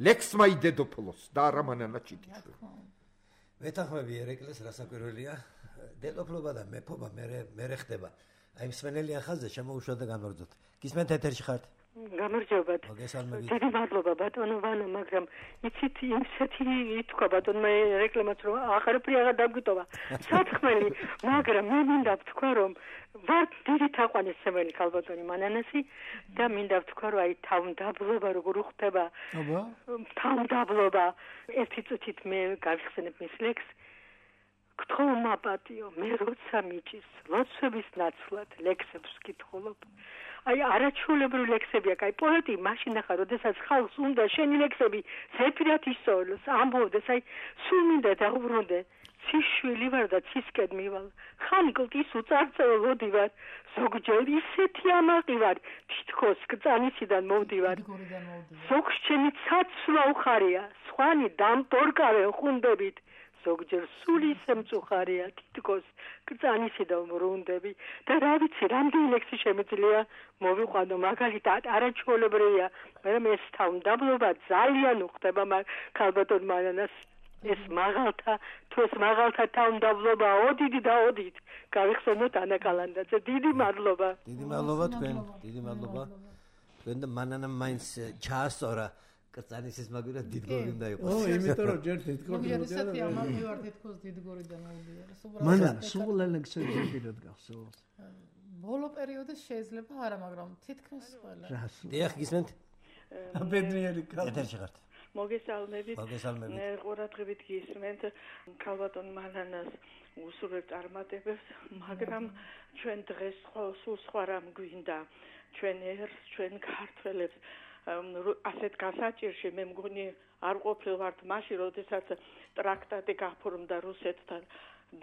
ლექსმა იდედოფლოს და არა მანანა ჭიტიშვილი. მეთანხმები ერეკლეს რასაკვირველია, დედოფლობა და მეფობა მერე ხდება. აი მსმენელი ახალზე შემოუშვა და განვარძოთ. გისმენთ ეთერში ხართ? გამარჯობა. დიდი მადლობა ბატონო ვანო, მაგრამ იცით იმსეთი ითქვა ბატონმა რეკლამაც რომ აღარაფერი აღარ დაგვიტოვა. სათხმელი, მაგრამ მე მინდა ვთქვა რომ ვარ დიდი თაყვანისმცემელი ქალბატონი მანანასი და მინდა ვთქვა რომ აი თავმდაბლობა როგორ უხდება. აბა? თავმდაბლობა. ერთი წუთით მე გავიხსენებ მის ლექსს. გთხოვმა პატიო, მე როცა მიჭის ლოცვების ნაცვლად ლექსებს ვკითხულობ. აი არაჩვეულებრივი ლექსები აქვს. აი პოეტი მაშინ ახლა როდესაც ხალხს უნდა შენი ლექსები ზეპირად ისწავლოს, ამბობდეს, აი სულ მინდა დაუბრუნდე. ციშვილი ვარ და ცისკენ მივალ. ხანიკლტის უწარწელოდი ვარ. ზოგჯერ ისეთი ამაყი ვარ, თითქოს კწანისიდან მოვდივარ. ზოგს ჩემი ცაცვა უხარია, სხვანი დამპორკავენ ხუნდებით. ზოგჯერ სული შემწუხარია, თითქოს კწანისიდან ვრუნდები. და რა ვიცი, რამდენი ლექსი შემიძლია მოვიყვანო, მაგალითად არაჩვეულებრივია, მაგრამ ეს თავმდაბლობა ძალიან უხდება ქალბატონ მანანას. ეს მაღალთა, თუ ეს მაღალთა თავმდაბლობა ოდით და ოდით გავიხსენოთ ანა კალანდაძე. დიდი მადლობა. დიდი მადლობა თქვენ, დიდი მადლობა. თქვენ და მანანამ მაინც ჩაასწორა კრწანისის მაგურად დიდგორი უნდა იყოს. ო, იმიტომ რომ ჯერ დიდგორი მოგია ესეთი ამბავი ვარ თითქოს დიდგორიდან მოვიდიარ. მანან სულ ლექსები პირად გახსოვს. ბოლო პერიოდის შეიძლება არა, მაგრამ თითქმის ყველა. დიახ, გისმენთ? აბედნიერი კაცი. ეთერში ხართ. მოგესალმებით. მოგესალმებით. ყურადღებით გისმენთ ქალბატონ მანანას უსურვებ წარმატებებს, მაგრამ ჩვენ დღეს სულ სხვა რამ გვინდა. ჩვენ ერს, ჩვენ ქართველებს ასეთ გასაჭირში მე მგონი არ ყოფილვართ მაშინ, როდესაც ტრაქტატი გაფორმდა რუსეთთან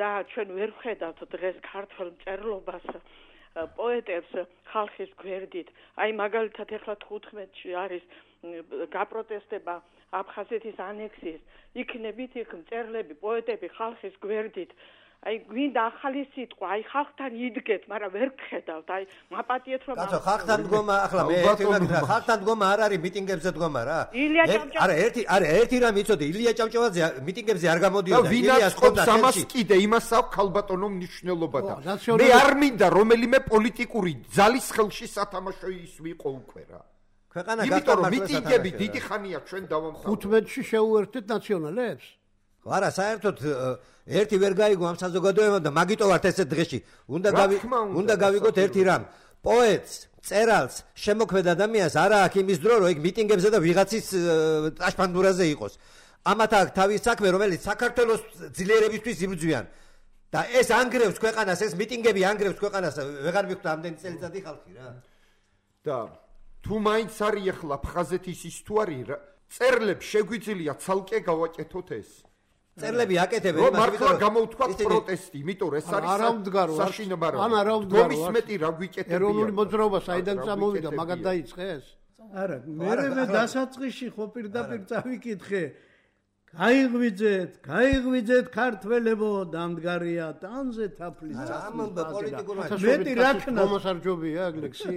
და ჩვენ ვერ ვხედავთ დღეს ქართველ მწერლობას, პოეტებს ხალხის გვერდით. აი მაგალითად ეხლა თხუთმეტში არის გაპროტესტება აფხაზეთის ანექსიის. იქნებით იქ მწერლები, პოეტები ხალხის გვერდით. აი გვინდა ახალი სიტყვა, აი ხალხთან იდგეთ, მაგრამ ვერ გხედავთ. აი მაპატიეთ რომ კაცო, ხალხთან დგომა, ახლა მე ერთი ვაკეთე, ხალხთან დგომა არ არის მიტინგებზე დგომა რა. არა, ერთი, არა, ერთი რამ იცოდე, ილია ჭავჭავაძე მიტინგებზე არ გამოდიოდა. ილიას ყობს ამას კიდე, იმას აქვს ქალბატონო მნიშვნელობა და მე არ მინდა რომელიმე პოლიტიკური ძალის ხელში სათამაშო ის ვიყო უკვე რა. ქვეყანა გასტარდა მიტინგები დიდი ხანია ჩვენ დავამთავრეთ. ხუთმეტში შეუერთეთ ნაციონალებს? არა, საერთოდ ერთი ვერ გაიგო ამ საზოგადოებამ და მაგიტო ვართ ესეთ დღეში. უნდა გავი უნდა გავიგოთ ერთი რამ. პოეტს, წერალს, შემოქმედ ადამიანს არა აქვს იმის დრო, რომ ეგ მიტინგებზე და ვიღაცის ტაშპანდურაზე იყოს. ამათ აქვს თავის საქმე, რომელიც საქართველოს ძლიერებისთვის იბრძვიან. და ეს ანგრევს ქვეყანას, ეს მიტინგები ანგრევს ქვეყანას, ვეღარ მიხვდა ამდენი წელიწადი ხალხი რა. და თუ მაინც არის ახლა აფხაზეთის ის თუ არის წერლებს შეგვიძლია ცალკე გავაკეთოთ ეს. წერლები აკეთებენ იმას, მართლა გამოვთქვათ პროტესტი, იმიტომ რომ ეს არის საშინაო. ან არა ვდგარო. გომის მეტი რა გვიკეთებია. ეროვნული მოძრაობა საიდან წამოვიდა, მაგად დაიწყეს? არა, მე დასაწყისში ხო პირდაპირ წავიკითხე. გაიღვიძეთ, გაიღვიძეთ ქართველებო, დამდგარია ტანზე თაფლის წამონდა პოლიტიკურმა მეტი რაკნა მომსარჯობია ეგ ლექსი.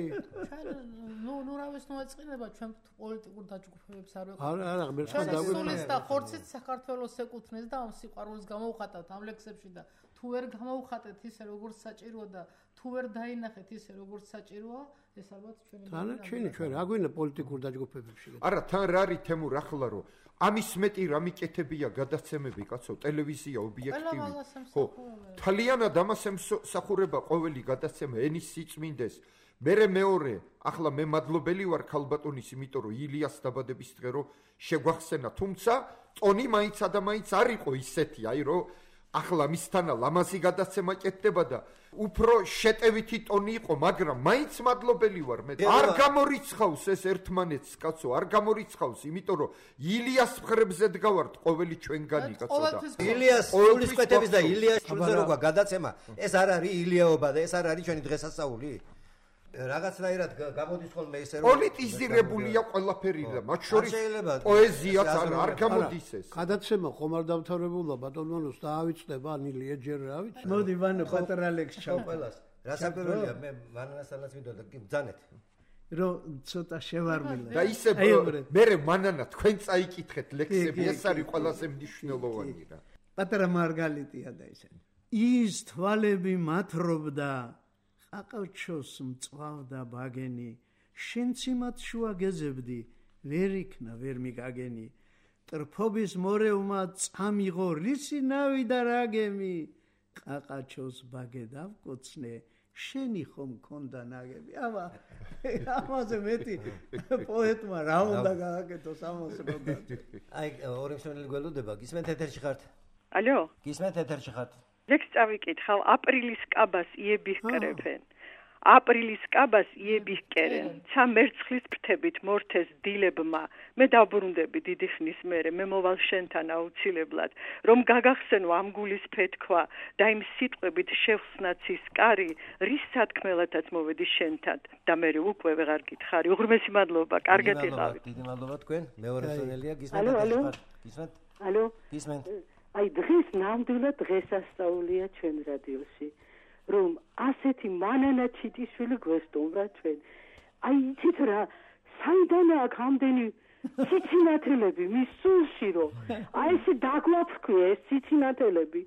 ნუ ნუ რა ვეს მოეწყინება ჩვენ პოლიტიკურ დაჯგუფებებს არ ვეყო. არა, არა, მე ხარ დაგვიწყდეს და ხორცით საქართველოს ეკუთვნეს და ამ სიყვარულს გამოვხატავთ ამ ლექსებში და თუ ვერ გამოვხატეთ ისე როგორც საჭიროა და თუ ვერ დაინახეთ ისე როგორც საჭიროა, ეს ალბათ ჩვენი თან ჩვენი ჩვენ რა გვინდა პოლიტიკურ დაჯგუფებებში. არა, თან რა არის თემურ ახლა რომ ამის მეტი რა მიკეთებია გადაცემები, კაცო, ტელევიზია ობიექტივი. ხო, თალიანად ამას ემსახურება ყოველი გადაცემა ენის სიწმინდეს. მერე მეორე, ახლა მე მადლობელი ვარ ქალბატონის, იმიტომ რომ ილიას დაბადების დღე რო შეგვახსენა, თუმცა ტონი მაინც და მაინც არ იყო ისეთი, აი რომ ახლა მისთანა ლამაზი გადაცემა კეთდება და უფრო შეტევითი ტონი იყო, მაგრამ მაინც მადლობელი ვარ მე. არ გამორიცხავს ეს ერთმანეთს, კაცო, არ გამორიცხავს, იმიტომ რომ ილიას მხრებზე დგავართ ყოველი ჩვენგანი, კაცო და ილიას სულისკვეთების და ილიას შულზე როგორ გადაცემა, ეს არ არის ილიაობა და ეს არ არის ჩვენი დღესასწაული. რაღაცნაირად გამოდის ხოლმე ესე რომ პოლიტიზირებულია ყველაფერი და მათ შორის პოეზიაც არ გამოდის ეს. გადაცემა ხომ არ დამთავრებულა ბატონოს დაავიწყდება ანილია ჯერ რა ვიცი. მოდი ვანო პატარა ლექს ჩავ ყველას. რასაკვირველია მე მანანასთანაც ვიდოდა ბძანეთ. რომ ცოტა შევარმილე. და ისე მერე მანანა თქვენ წაიკითხეთ ლექსები, ეს არის ყველაზე მნიშვნელოვანი რა. პატარა მარგალიტია და ისე. ის თვალები მათრობდა აყავჩოს მწვავდა ბაგენი, შენც იმათ შუა გეზებდი, ვერ იქნა ვერ მიგაგენი, ტრფობის მორევმა წამიღო რისი ნავი და რაგემი, ყაყაჩოს ბაგე დავკოცნე, შენი ხომ მქონდა ნაგები. აბა, ამაზე მეტი პოეტმა რა უნდა გააკეთოს ამას როდა. აი, ორი მსმენელი გველოდება, გისმენთ ეთერში ხართ? ალო? გისმენთ ეთერში ხართ? ლექს წავიკითხავ, აპრილის კაბას იები ჰკრებენ. აპრილის კაბას იები ჰკერენ. ცა მერცხლის ფრთებით მორთეს დილებმა. მე დავბრუნდები დიდი ხნის მერე, მე მოვალ შენთან აუცილებლად, რომ გაგახსენო ამ გულის ფეთქვა და იმ სიტყვებით შევხსნაცის კარი, რის სათქმელათაც მოვედი შენთან და მე უკვე ვეღარ გითხარი. უღრმესი მადლობა, კარგად იყავით. დიდი მადლობა თქვენ. მეორე მსმენელია გისმენთ ეთერში ხართ? გისმენთ? ალო? გისმენთ? აი დღეს ნამდვილად დღესასწაულია ჩვენ რადიოში, რომ ასეთი მანანა ჩიტიშვილი გვესტუმრა ჩვენ. აი იცით რა, საიდანაა აქ ამდენი ციცინათელები მის სულში, რომ აი ესე დაგვაფრქვი ეს ციცინათელები,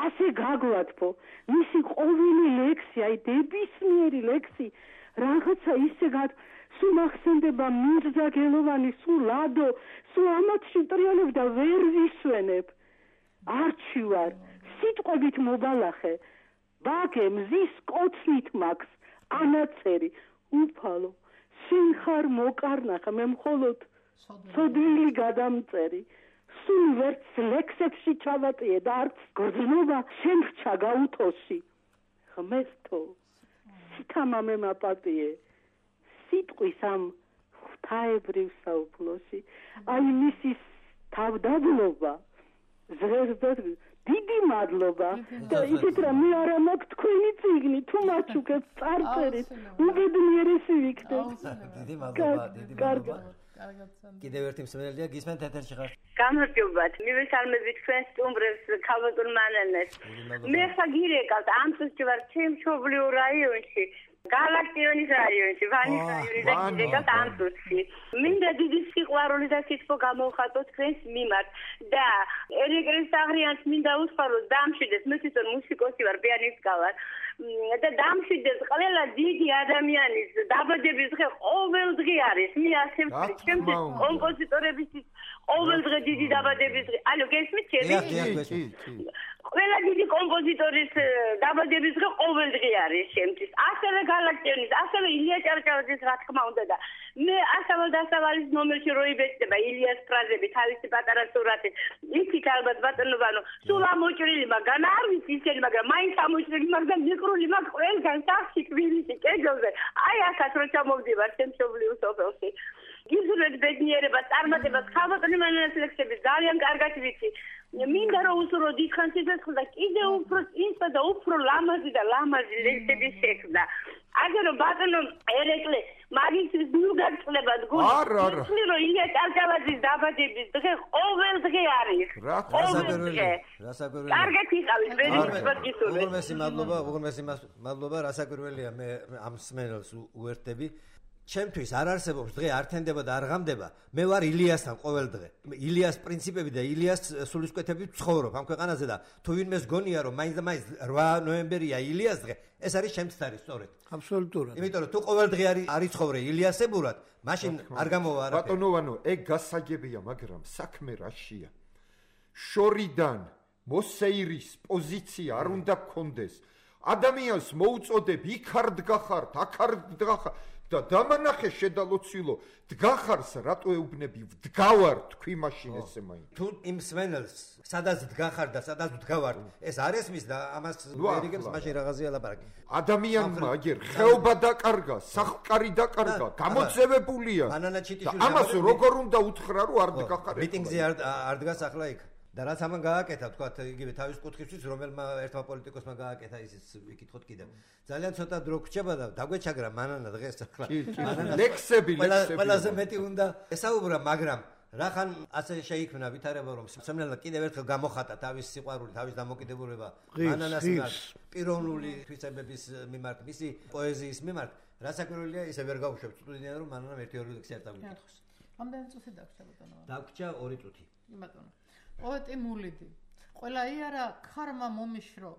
ასე გაგვათფო, მისი ყოველი ლექსი, აი დებისმიერი ლექსი, რაღაცა ისე გად სულ ახსენდება მირზა გელოვანი, სულ ლადო, სულ ამათში ტრიალებ და ვერ ვისვენებ. არჩივარ, სიტყვებით მობალახე, ბაგე მზის კოცნით მაქვს, ანაწერი, უფალო, შენ ხარ მოკარნახა, მე მხოლოდ ცოდვილი გადამწერი, სულ ვერც ლექსებში ჩავატიე და არც გრძნობა შენ რჩა გაუთოში. ხმესთო, სითამამე მაპატიე, სიტყვის ამ ღვთაებრივ საუფლოში, აი მისის თავდაბლობა, ზღერდად დიდი მადლობა და ისეთ რა მე არა მაქვს თქვენი წიგნი თუ მაჩუქებს წარწერით უბედნიერესი ვიქნებ. დიდი მადლობა, დიდი მადლობა. კიდევ ერთი მსმენელია, გისმენთ ეთერში ხარ? გამარჯობათ, მივესალმებით თქვენ სტუმრებს, ქალბატონ მანანას. მე ხაგირეკავთ ამ წუთში ვარ ჩემშობლიურ რაიონში. გალაქტიონის რაიონში, ვანის რაიონში და კიდევ ამ წუთში. მინდა დიდი სიყვარული და სიტყვა გამოვხატო თქვენს მიმართ და ერიკრეს აღრიანს მინდა უსხარო დამშვიდეს, მე თვითონ მუსიკოსი ვარ, პიანისტკა ვარ. და დამშვიდეს ყველა დიდი ადამიანის დაბადების დღე ყოველ დღე არის. მე ასე ვთქვი, ჩემთვის კომპოზიტორების ყოველ დღე დიდი დაბადების დღე. ალო, გესმით ჩემი? ყველა დიდი კომპოზიტორის დაბადების დღე ყოველ დღე არის ჩემთვის. ასევე გალაქტიონის, ასევე ილია ჭავჭავაძის რა თქმა უნდა და მე ასავალ დასავალის ნომერში რო იბეჭდება ილიას ფრაზები, თავისი პატარა სურათი. იქით ალბათ ბატონობანო, სულ ამოჭრილი მაგან არ ვიცი ისინი, მაგრამ მაინც ამოჭრილი მაგან მიყრული მაგ ყველგან სახში თბილისში კედელზე. აი ახაც რო ჩამოვდივარ შემშობლიურ სოფელში. გიზრდეთ ბედნიერებას, წარმატებას, ხალხური მანანას ლექსები ძალიან კარგად ვიცი. მინდა რომ უსურო დიდხანს იცოცხლ და კიდევ უფრო წინსა და უფრო ლამაზი და ლამაზი ლექსები შექმნა. აგერ რომ ბატონო ერეკლე მაგისთვის ნუ გაგწლებათ გული. არა, არა. ისე რომ ილია ჭავჭავაძის დაბადების დღე ყოველ დღე არის. რასაკვირველია, რასაკვირველია. კარგად იყავით, ბედნიერებას გისურვებთ. უღრმესი მადლობა, უღრმესი მადლობა, რასაკვირველია, მე ამ მსმენელს უერთდები. ჩემთვის არ არსებობს დღე არ თენდება და არ ღამდება. მე ვარ ილიასთან ყოველ დღე. ილიას პრინციპები და ილიას სულისკვეთები ვცხოვრობ ამ ქვეყანაზე და თუ ვინმეს გონია რომ მაინც და მაინც რვა ნოემბერია ილიას დღე, ეს არის ჩემთვის არის სწორედ. აბსოლუტურად. იმიტომ რომ თუ ყოველ დღე არის არის ცხოვრე ილიასებურად, მაშინ არ გამოვა არაფერი. ბატონოვანო, ეგ გასაგებია, მაგრამ საქმე რაშია? შორიდან მოსეირის პოზიცია არ უნდა გქონდეს. ადამიანს მოუწოდებ იქ არ დგახართ, აქ არ დგახარ და დამანახე შედალოცილო, დგახარს რატო ეუბნები? ვდგავარ თქვი მაშინ ესე მაინც. თუ იმ სვენელს სადაც დგახარ და სადაც ვდგავარ, ეს არ ესმის და ამას ვერიგებს მაშინ რაღაცია ლაპარაკი. ადამიანმა აგერ ხეობა დაკარგა, სახკარი დაკარგა, გამოძევებულია. ამას როგორ უნდა უთხრა რომ არ დგახარ? მიტინგზე არ არ დგას ახლა იქ. და რაც ამან გააკეთა, თქვათ, იგივე თავის კუთხისთვის, რომელმა ერთმა პოლიტიკოსმა გააკეთა ისიც ვიკითხოთ კიდევ. ძალიან ცოტა დრო გრჩება და დაგვეჩაგრა მანანა დღეს ახლა. ლექსები, ლექსები. ყველაზე მეტი უნდა ესაუბრა, მაგრამ რახან ასე შეიქმნა ვითარება, რომ სემნელა კიდევ ერთხელ გამოხატა თავის სიყვარული, თავის დამოკიდებულება მანანას მიმართ, პიროვნული თვისებების მიმართ, მისი პოეზიის მიმართ, რასაკვირველია, ისე ვერ გავუშვებ სტუდიიდან, რომ მანანამ ერთი ორი ლექსი არ წავიკითხოს. ამდენი წუთი დაგვრჩა ბატონო. დაგვრჩა ორი წუთი. ბატონო. პოეტი მულიდი. ყველა იარა ქარმა მომიშრო,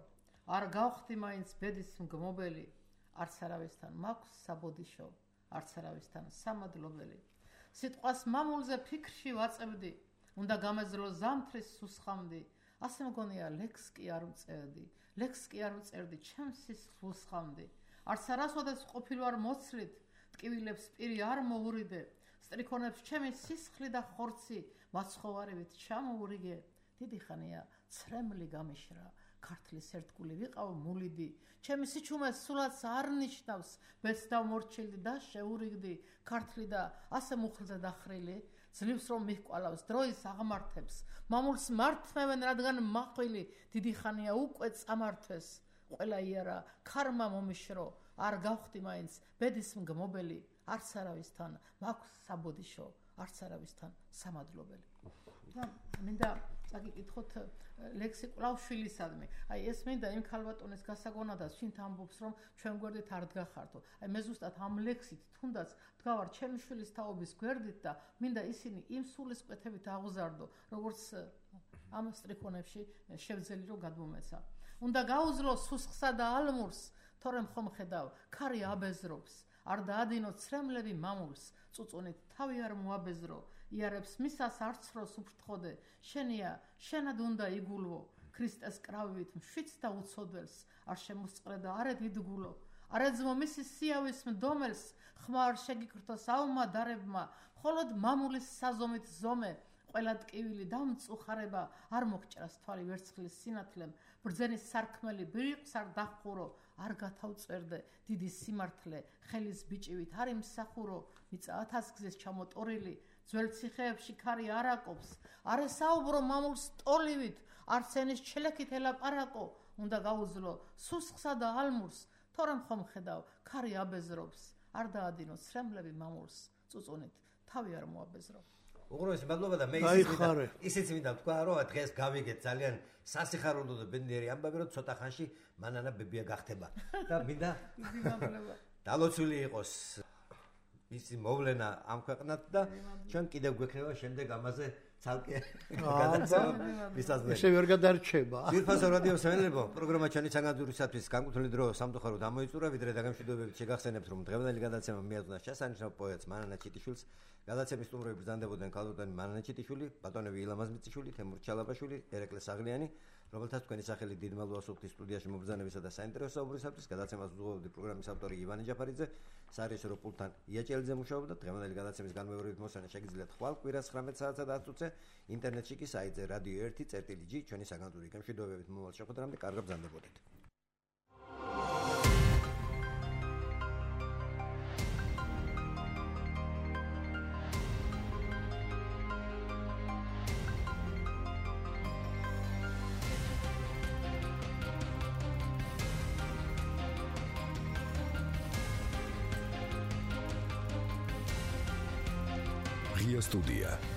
არ გავხდი მაინც ბედის მგმობელი, არც არავისთან მაქვს საბოდიშო, არც არავისთან სამადლობელი. სიტყვას მამულზე ფიქრში ვაწევდი, უნდა გამეძლო ზამთრის სუსხამდი, ასე მგონია ლექს კი არ ვწერდი, ლექს კი არ ვწერდი, ჩემს სისხლს ვსხამდი. არც არასოდეს ყოფილ ვარ მოცლით, ტკივილებს პირი არ მოურიდე, სტრიქონებს ჩემი სისხლი და ხორცი, მაცხოვარებით ჩამოურიგე. დიდი ხანია ცრემლი გამიშრა, ქართლის ერთგული ვიყავ მულიდი, ჩემი სიჩუმე სულაც არ ნიშნავს, ბეც დავმორჩილდი და შეურიგდი, ქართლი და ასე მუხლზე დახრილი, ძლივს რომ მიჰყვალავს დროის აღმართებს, მამულს მართმევენ რადგან მახვილი, დიდი ხანია უკვე წამართვეს, ყველა იარა ქარმა მომიშრო, არ გავხდი მაინც ბედის მგმობელი, არც არავისთან მაქვს საბოდიშო, არც არავისთან სამადლობელი. და მინდა წაგიკითხოთ ლექსი კვლავშვილისადმი. აი ეს მინდა იმ ქალბატონის გასაგონადას შინთ ამბობს რომ ჩვენ გვერდით არ დგახართო. აი მე ზუსტად ამ ლექსით თუნდაც დგავარ ჩემი შვილის თაობის გვერდით და მინდა ისინი იმ სულისკვეთებით აღზარდო, როგორც ამ სტრიქონებში შევძელი რომ გადმომეცა. უნდა გაუძლო სუსხსა და ალმურს, თორემ ხომ ხედავ, ქარი აბეზრობს. არ დაადინო ცრემლები მამულს, წუწუნით თავი არ მოაბეზრო, იარებს მისას არცროს უფრთხოდე, შენია, შენად უნდა იგულვო, ქრისტეს კრავივით მშვიდს და უცოდველს, არ შემოსწყრე და არ ედგულო, არ ეძმო მისი სიავის მდომელს, ხმა არ შეგიკრთო საუმა დარებმა, მხოლოდ მამულის საზომით ზომე, ყველა ტკივილი დამწუხარება, არ მოგჭრას თვალი ვერცხლის სინათლემ, ბრძენის სარქმელი ბრიყვს არ დახურო, არ გათავწერდე დიდი სიმართლე, ხელის ბიჭივით არ იმსახურო, მიწა ათასგზის ჩამოტორილი, ძველ ციხეებში ქარი არ აკობს, არ ესაუბრო მამულს ტოლივით, არც ენის ჩელექით ელაპარაკო, უნდა გაუძლო სუსხსა და ალმურს, თორემ ხომ ხედავ, ქარი აბეზრობს, არ დაადინო ცრემლები მამულს, წუწუნით თავი არ მოაბეზრო. უღრუესი მადლობა და მე ისიც მინდა ვთქვა, რომ დღეს გავიგეთ ძალიან სასიხარულო და ბედნიერი ამბავი, რომ ცოტა ხანში მანანა ბებია გახდება და მინდა დალოცული იყოს მისი მოვლენა ამ ქვეყნად და ჩვენ კიდევ გვექნება შემდეგ ამაზე ცალკე გადაცემა მისაზრდელი. ესე ვერ გადარჩება. ძირფასო რადიო მსმენელებო, პროგრამა ჩვენი საგანძურისათვის განკუთვნილი დრო სამწუხაროდ ამოიწურა, ვიდრე დაგემშვიდობებით შეგახსენებთ, რომ დღევანდელი გადაცემა მიაწვდა შესანიშნავ პოეტს მანანა ჩიტიშვილს. გადაცემის სტუმრები ბრძანდებოდნენ ქალბატონი მანანა ჩიტიშვილი, ბატონები ილამაზ მიწიშვილი, თემურ ჩალაბაშვილი, ერეკლე საღლიანი, რომელთაც თქვენი სახელი დიდმალვა სუფთის სტუდიაში მობრძანებისა და საინტერესო საუბრისათვის გადაცემას უძღვებოდი პროგრამის ავტორი ივანე ჯაფარიძე, სარეჟისორო პულტთან ია ჭელიძე მუშაობდა. დღევანდელი გადაცემის განმეორებით მოსვენა შეგიძლიათ ხვალ კვირას ცხრამეტ საათსა და ათ წუთზე ინტერნეტში კი საიტზე რადიო ერთი წერტილი ჯი ჩვენი საგანძური გემშვიდობებით მომავალ შეხვედრამდე კარგად ბრძანდებოდეთ. Ria Studia.